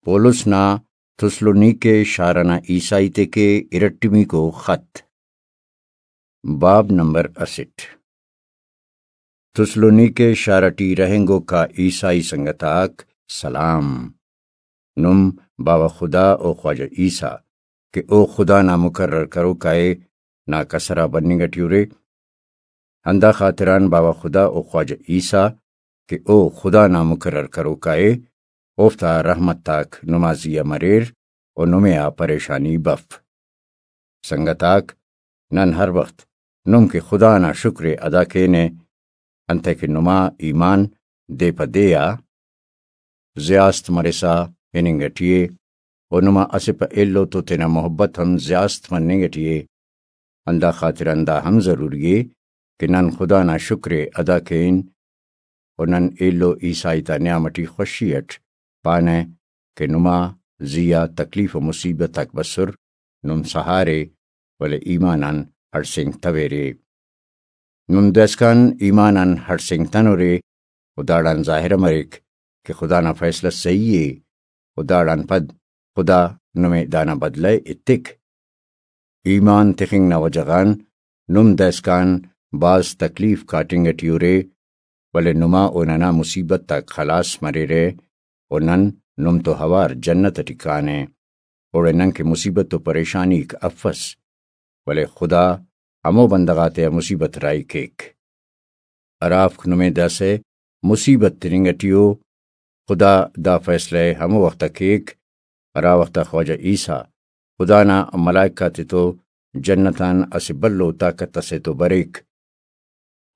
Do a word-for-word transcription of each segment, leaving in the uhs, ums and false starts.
پولس نا تسلونیکے شار ئنا عیسائی تیکے ارٹمیکو خط۔ باب نمبر اسٹ۔ تسلونیکے شار ٹی رہینگوکا عیسائی سنگت آک سلام۔ نم باوہ خدا و خواجہ عیسیٰ کہ او خدا نا مقرر کروکا ءِ، نا کسر آ بننگ ٹی ارے۔ ہندا خاطران باوہ خدا و خواجہ عیسیٰ کہ او خدا نا مقرر کروکا ءِ، اوفتا رحمت آک نما زی آ مریر و نمے آ پریشانی بف۔ سنگت آک، نن ہر وخت نم کہ خدا نا شکر ءِ ادا کینہ، انتئے کہ نما ایمان دے پہ دے آ زیاست مرسا ہننگ ٹی ءِ، و نما اسہ پہ ایلو تو تینا محبت ہم زیاست مننگ ٹی ءِ۔ ہندا خاطران دا ہم ضروری ءِ کہ نن خدا نا شکر ءِ ادا کین، و نن ایلو عیسائی تا نیام ٹی خوشی اٹ پانہ کہ نما زی آ تکلیف و مصیبت آک بسر، نم سہارے، ولے ایمان آن ہڑسینگتویرے۔ نم داسکان ایمان آن ہڑسینگتنورے، و داڑان ظاہر مریک کہ خدا نا فیصلہ صحیح ءِ، و داڑان پد خدا نمے دانا بدلہ ءِ ایتک۔ ایمان تخنگ نا وجہ غان نم داسکان بھاز تکلیف کاٹنگ ٹی ارے، ولے نما و ننا مصیبت آک خلاص مریرہ، و نن نم تو اوار جنت ٹی کانہ، اوڑے ننکہ مصیبت و پریشانیک افس، ولے خدا ہمو بندغ آتیا مصیبت راہی کیک۔ ہرافک نمے داسہ مصیبت تننگ ٹی ءُ، خدا دا فیصلہ ءِ ہمو وخت آ کیک، ہرا وخت آ خواجہ عیسیٰ خدا نا ملائک آتتو جنت آن اسہ بھلو طاقت اسے تو بریک۔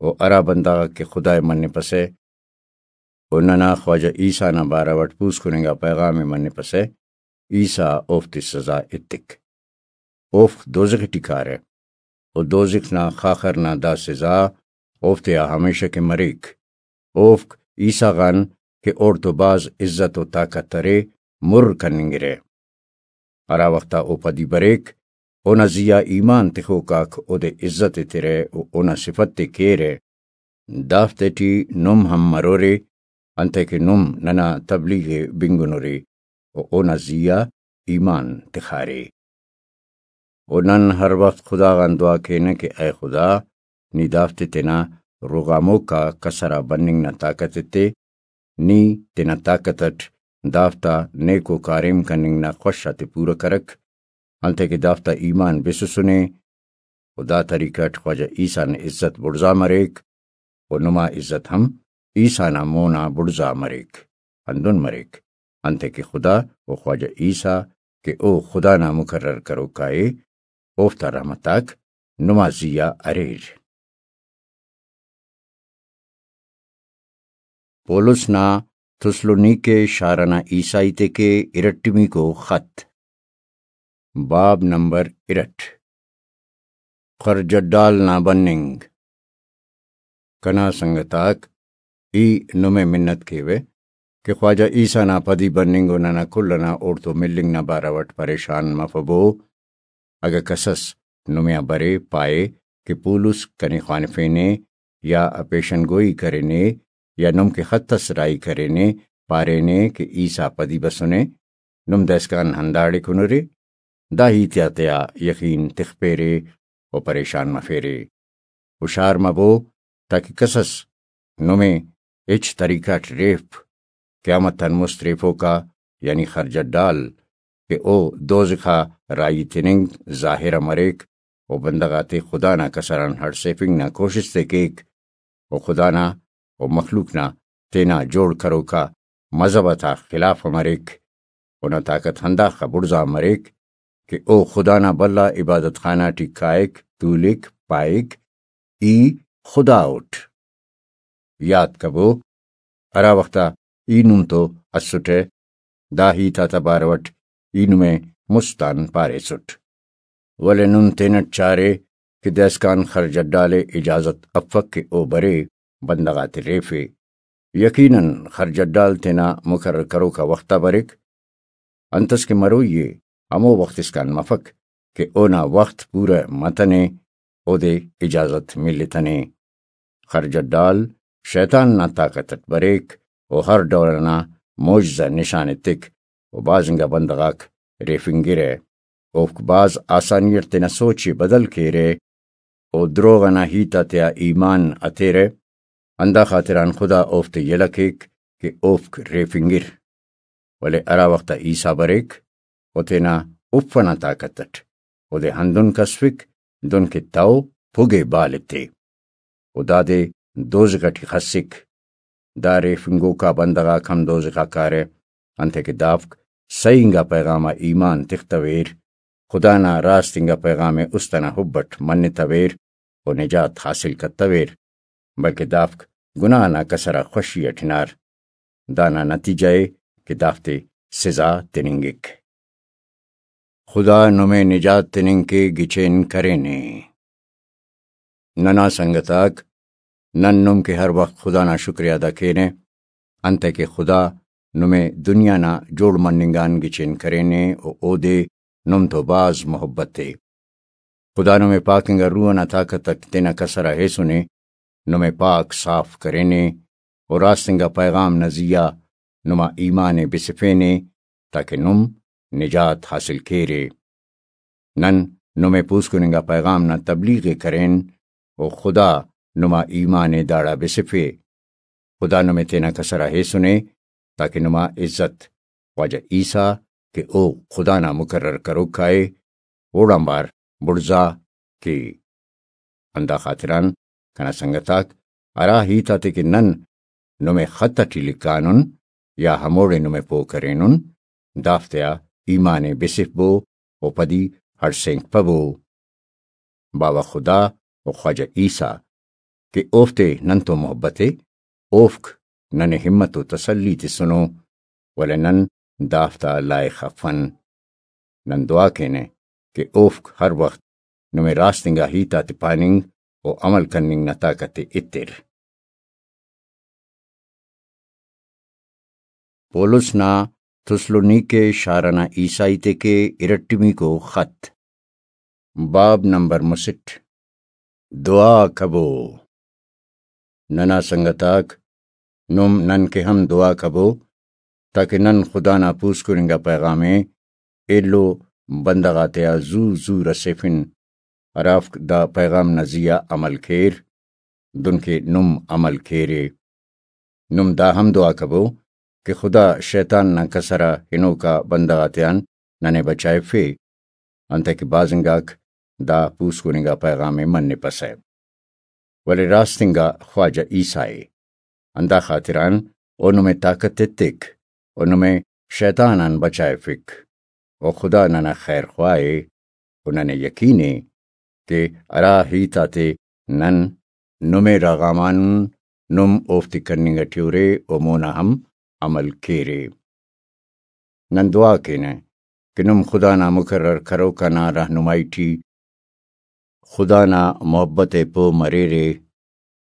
و ہرا بندغ آک کہ خدا ءِ منپسہ و ننا خواجہ عیسیٰ نا بارو اٹ پوسکن انگا پیغام ءِ منپسہ، عیسیٰ اوفتے سزا ایتک۔ اوفک دوزخ ٹی کارہ، و دوزخ نا خاخر نا دا سزا اوفتیا ہمیشہ کہ مریک۔ اوفک عیسیٰ غان کہ اوڑتو بھاز عزت و طاقت ارے، مر کننگرہ۔ ہرا وخت آ او پدی بریک، اونا زی آ ایمان تخوک آک اودے عزت ایترہ و اونا صفت ءِ کیرہ۔ دافتے ٹی نم ہم مرورے، انتئے کہ نم ننا تبلیغ ءِ بنگنورے و اونا زی آ ایمان تخارے۔ و نن ہر وخت خدا غان دعا کینہ کہ اے خدا، نی دافتے تینا رغاموک آ کسر آ بننگ نا طاقت ایتے، نی تینا طاقت اٹ دافتا نیکو کاریم کننگ نا خوش آتے پورہ کرک، انتئے کہ دافتا ایمان بسسنے، و دا طریقہ اٹ خواجہ عیسیٰ نا عزت بڑزا مریک، و نما عزت ہم عیسیٰ نا مونا بڑزا مریک۔ ہندن مریک، انتئے کہ خدا و خواجہ عیسیٰ کہ او خدا نا مقرر کروکا ءِ، اوفتا رحمت آک نما زی آ اریر۔ پولس نا تسلونیکے شار ئنا عیسائی تیکے ارٹمیکو خط۔ باب نمبر ارٹ۔ خرجہ ڈال نا بننگ۔ کنا سنگت آک، ای نمے منت کیوہ کہ خواجہ عیسیٰ نا پدی بننگ و ننا کل ئنا اوڑتو ملنگ نا بارو اٹ پریشان مفبو۔ اگہ کسس نمے آ برے پائے کہ پولس کنے خوانفینے یا پیشن گوئی کرینے یا نم کہ خط اس راہی کرینے، پارینے کہ عیسیٰ پدی بسنے، نم دائسکان ہنداڑے کنرے، دا ہیت آتیا یقین تخپیرے و پریشان مفیرے۔ ہشار مبو تاکہ کسس نمے ہچ طریقہ اٹ ریف۔ قیامت آن مست ریفوکا یعنی خرجہ ڈال کہ او دوزخ آ راہی تننگ ظاہر آ مریک و بندغ آتے خدا نا کسر آن ہڑسیفنگ نا کوشست ءِ کیک و خدا نا و مخلوق نا تینا جوڑ کروکا مذہب آتا خلاف آ مریک۔ اونا طاقت ہنداخہ بڑزا مریک کہ او خدا نا بھلا عبادت خانہ ٹی کائک، تولک، پائک، ای خدا اٹ۔ یات کبو، ہرا وخت آ ای نم تو اسٹہ، دا ہیت آتا بارو اٹ ای نمے مست آن پاریسٹ۔ ولے نم تینٹ چارے کہ دائسکان خرجہ ڈال ءِ اجازت افک کہ او برے بندغ آتے ریفے۔ یقیناً خرجہ ڈال تینا مقرر کروکا وخت آ بریک۔ انتس کہ مروئی ءِ ہمو وخت اسکان مفک کہ اونا وخت پورہ متنے، اودے اجازت ملتنے۔ خرجہ ڈال شیطان نا طاقت اٹ بریک و ہر ڈول ئنا معجزہ نشان ایتک و بھاز انگا بندغ آک ریفنگرہ۔ اوفک بھاز آسانی اٹ تینا سوچ ءِ بدل کیرہ و دروغ ئنا ہیت آتیا ایمان ہتیرہ، ہندا خاطران خدا اوفتے یلہ کیک کہ اوفک ریفنگر۔ ولے ہرا وخت آ عیسیٰ بریک و تینا اف ئنا طاقت اٹ اودے ہندن کسفک دنکہ تہو پھگے بال ایتے و دادے دوزخ ٹی خسک۔ دا ریفنگوکا بندغ آک ہم دوزخ آ کارہ، انتئے کہ دافک سہی انگا پیغام آ ایمان تختویر، خدا نا راست انگا پیغام ءِ است ئنا حب اٹ منتویر و نجات حاصل کتویر، بلکہ دافک گناہ نا کسر آ خوشی اٹ ہنار۔ دانا نتیجہ ءِ کہ دافتے سزا تننگک۔ خدا نمے نجات تننگ کے گچین کرینے۔ ننا سنگت آک، نن نم کہ ہر وخت خدا نا شکریہ ادا کینہ، انتئے کہ خدا نمے دنیا نا جوڑ مننگ آن گچین کرینے و اودے نم تو بھاز محبت ءِ۔ خدا نمے پاک انگا روح ئنا طاقت اٹ تینا کسر آ ہیسنے، نمے پاک صاف کرینے و راست انگا پیغام نا زیہا نما ایمان ءِ بسفینے، تاکہ نم نجات حاصل کیرے۔ نن نمے پوسکن انگا پیغام نا تبلیغ ءِ کرین و خدا نما ایمان ءِ داڑا بسفے۔ خدا نمے تینا کسر آ ہیسنے، تاکہ نما عزت خواجہ عیسیٰ کہ او خدا نا مقرر کروکا ءِ، اوڑان بار بڑزا کے۔ ہندا خاطران کنا سنگت آک، ہرا ہیت آتے کہ نن نمے خط اٹی لکھانن یا ہموڑے نمے پہہ کرینن، دافتیا ایمان ءِ بسفبو و پدی ہڑسینگپبو۔ باوہ خدا و خواجہ عیسیٰ کہ اوفتے نن تو محبت ءِ، اوفک ننے ہمت و تسلی تسنو، ولے نن دافتا لائخ افن۔ نن دعا کینہ کہ اوفک ہر وخت نمے راست انگا ہیت آتے پاننگ و عمل کننگ نا طاقت ءِ ایتر۔ پولس نا تسلونیکے شار ئنا عیسائی تے کہ ارٹمیکو خط۔ باب نمبر مسٹ۔ دعا کبو۔ ننا سنگت آک، نم نن کہ ہم دعا کبو، تاکہ نن خدا نا پوسکن انگا پیغام ءِ ایلو بندغ آتیا زو زو رسیفن، ہرافک دا پیغام نا زیہا عمل کیر، دنکہ نم عمل کیرے۔ نم دا ہم دعا کبو کہ خدا شیطان نا کسر آ ہنوکا بندغ آتیان ننے بچائفے، انتئے کہ بھاز انگاک دا پوسکن انگا پیغام ءِ منپسہ، ولے راست انگا خواجہ عیسیٰ ءِ۔ ہندا خاطران او نمے طاقت ایتک و نمے شیطان آن بچائفک۔ و خدا ننا خیر خواہ ءِ و ننے یقین ءِ کہ ہرا ہیت آتے نن نمے رغامانن، نم اوفتے کننگ ٹی ارے و مونا ہم عمل کیرے۔ نن دعا کینہ کہ نم خدا نا مقرر کروکا نا رہنمائی ٹی خدا نا محبت ءِ پہہ مریرے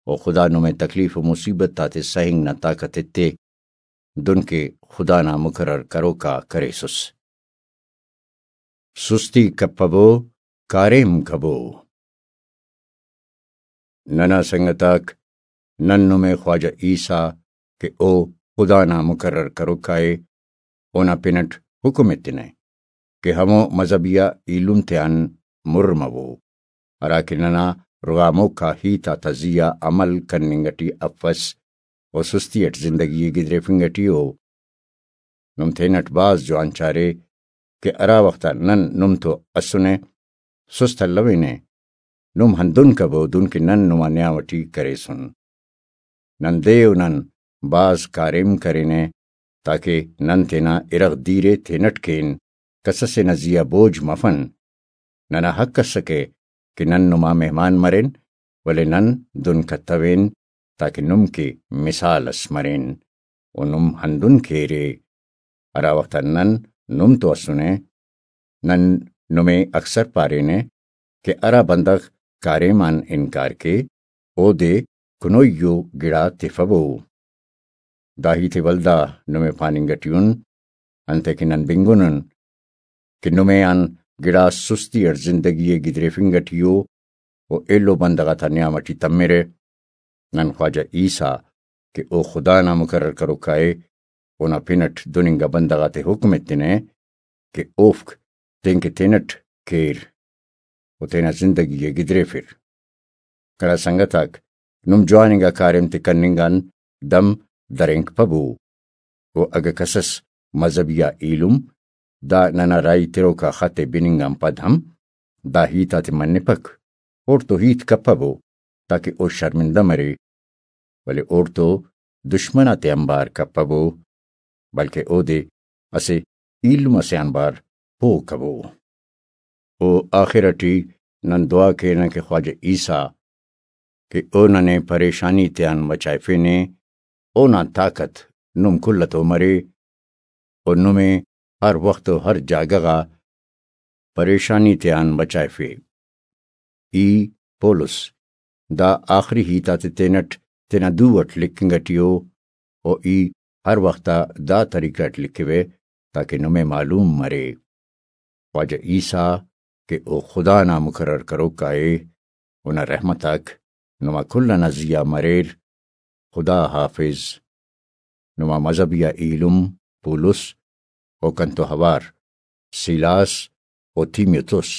و خدا نمے تکلیف و مصیبت آتے سہنگ نا طاقت ایتے، دنکہ خدا نا مقرر کروکا کریسس۔ سستی کپبو، کاریم کبو۔ ننا سنگت آک، نن نمے خواجہ عیسیٰ کہ او خدا نا مقرر کروکا ءِ، اونا پن اٹ حکم ایتنہ کہ ہمو مذہبیہ ایلم تیان مر مبو، ہراکہ ننا رغاموکا ہیت آتا زیہا عمل کننگ ٹی افس و سستی اٹ زندگی ءِ گدریفنگ ٹی ءُ۔ نم تینٹ بھاز جوان چارے کہ ہرا وخت آ نن نم تو اسنے، سست الوینے، نم ہندن کبو دن کہ نن نما نیام ٹی کریسن۔ نن دے و نن بھاز کاریم کرینہ، تاکہ نن تینا ارغ دیر ءِ تینٹ کین، کس ئسے نا زی آ بوجھ مفن۔ ننا حق اسکہ کہ نن نما مہمان مرین، ولے نن دن کتوین، تاکہ نم کہ مثال اس مرین و نم ہندن کیرے۔ ہرا وخت آ نن نم تو اسنے، نن نمے اکثر پارینہ کہ ہرا بندغ کاریم آن انکار کے، اودے کنوئی ءُ گڑا تفبو۔ دا ہیت ءِ ولدا نمے پاننگ ٹی ان، انتئے کہ نن بنگنن کہ نمے آن گڑاس سستی اٹ زندگی ءِ گدریفنگ ٹی ءُ و ایلو بندغ آتا نیام ٹی تمرہ۔ نن خواجہ عیسیٰ کہ او خدا نا مقرر کروکا ءِ، اونا پن اٹ دن انگا بندغ آتے حکم ایتنہ کہ اوفک تینکہ تینٹ کیر و تینا زندگی ءِ گدریفر۔ گڑا سنگت آک، نم جوان انگا کاریم تے کننگ آن دم درینک پبو۔ و اگہ کسس مذہبی آ ایلم دا ننا راہی تروکا خط ءِ بننگ آن پد ہم دا ہیت آتے منپک، اوڑتو ہیت کپبو تاکہ او شرمندہ مرے، ولے اوڑتو دشمن آتے آنبار کپبو، بلکہ اودے اسہ ایلم اسے آنبار پہہ کبو۔ و آخر اٹی نن دعا کینہ کہ خواجہ عیسیٰ کہ او ننے پریشانی تیان بچائفینے، اونا طاقت نم کل تو مرے، و نمے ہر وخت و ہر جاگہ غا پریشانی تیان بچائفے۔ ای پولس دا آخری ہیت آتے تینٹ تینا دو اٹ لکھنگ اٹی او، و ای ہر وخت آ دا طریقہ اٹ لکھوے تاکہ نمے معلوم مرے۔ خواجہ عیسیٰ کہ او خدا نا مقرر کروکا ءِ، اونا رحمت آک نما کل ئنا زیہا مریر۔ خدا حافظ۔ نما مذہبی آ ایلم پولس و کنتو ہوار سیلاس و تیمیوتوس۔